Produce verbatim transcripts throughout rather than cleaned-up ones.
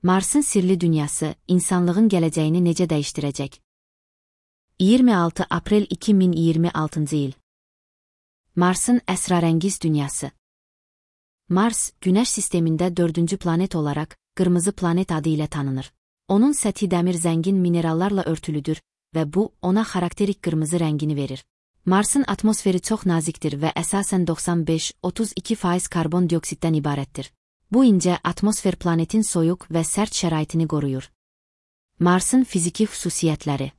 Marsın sirli dünyası, insanlığın gələcəyini necə dəyişdirəcək? iyirmi altı aprel iki min iyirmi altıncı il. Marsın əsrarəngiz dünyası. Mars, Günəş sistemində dördüncü planet olaraq, qırmızı planet adı ilə tanınır. Onun səthi dəmir zəngin minerallarla örtülüdür və bu, ona xarakterik qırmızı rəngini verir. Marsın atmosferi çox nazikdir və əsasən doxsan beş otuz iki faiz karbon dioksiddən ibarətdir. Bu incə atmosfer planetin soyuq və sərt şəraitini qoruyur. Marsın fiziki xüsusiyyətləri.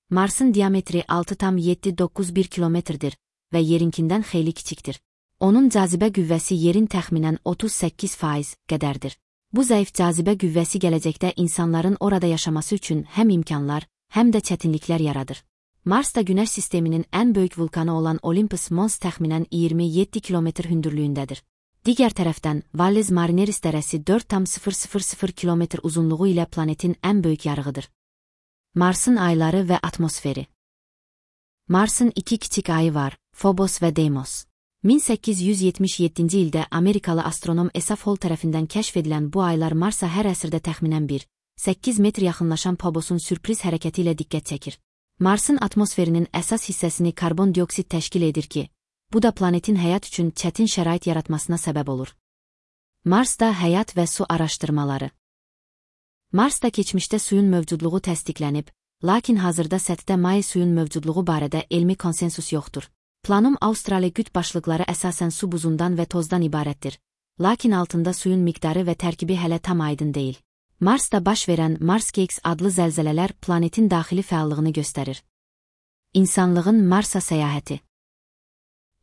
Marsın diametri altı tam yeddi doqquz bir kilometrdir və yerinkindən xeyli kiçikdir. Onun cazibə qüvvəsi yerin təxminən otuz səkkiz faiz qədərdir. Bu zəif cazibə qüvvəsi gələcəkdə insanların orada yaşaması üçün həm imkanlar, həm də çətinliklər yaradır. Mars da Günəş sisteminin ən böyük vulkanı olan Olympus Mons təxminən iyirmi yeddi kilometr hündürlüyündədir. Digər tərəfdən, Valles Marineris dərəsi dörd tam sıfır sıfır sıfır kilometr uzunluğu ilə planetin ən böyük yarığıdır. Marsın ayları və atmosferi. Marsın iki kiçik ayı var, Phobos və Deimos. min səkkiz yüz yetmiş yeddinci ildə Amerikalı astronom Esaf Hall tərəfindən kəşf edilən bu aylar Marsa hər əsrdə təxminən bir nöqtə səkkiz metr yaxınlaşan Phobosun sürpriz hərəkəti ilə diqqət çəkir. Marsın atmosferinin əsas hissəsini karbon dioksid təşkil edir ki, bu da planetin həyat üçün çətin şərait yaratmasına səbəb olur. Marsda həyat və su araşdırmaları. Marsda keçmişdə suyun mövcudluğu təsdiqlənib, lakin hazırda səthdə maye suyun mövcudluğu barədə elmi konsensus yoxdur. Planum Australi qütb başlıqları əsasən su buzundan və tozdan ibarətdir, lakin altında suyun miqdarı və tərkibi hələ tam aydın deyil. Marsda baş verən Marsquakes adlı zəlzələlər planetin daxili fəallığını göstərir. İnsanlığın Marsa səyahəti.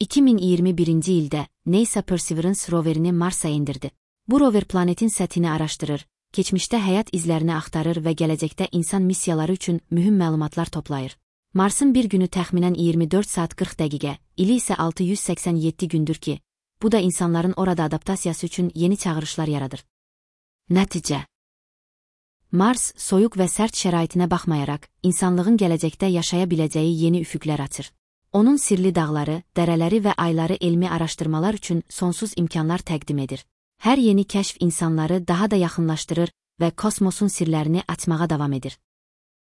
iki min iyirmi birinci ildə NASA Perseverance roverini Marsa endirdi. Bu rover planetin səthini araşdırır, keçmişdə həyat izlərini axtarır və gələcəkdə insan missiyaları üçün mühüm məlumatlar toplayır. Marsın bir günü təxminən iyirmi dörd saat qırx dəqiqə, ili isə altı yüz səksən yeddi gündür ki, bu da insanların orada adaptasiyası üçün yeni çağırışlar yaradır. Nəticə. Mars, soyuq və sərt şəraitinə baxmayaraq, insanlığın gələcəkdə yaşaya biləcəyi yeni üfüqlər açır. Onun sirli dağları, dərələri və ayları elmi araşdırmalar üçün sonsuz imkanlar təqdim edir. Hər yeni kəşf insanları daha da yaxınlaşdırır və kosmosun sirlərini açmağa davam edir.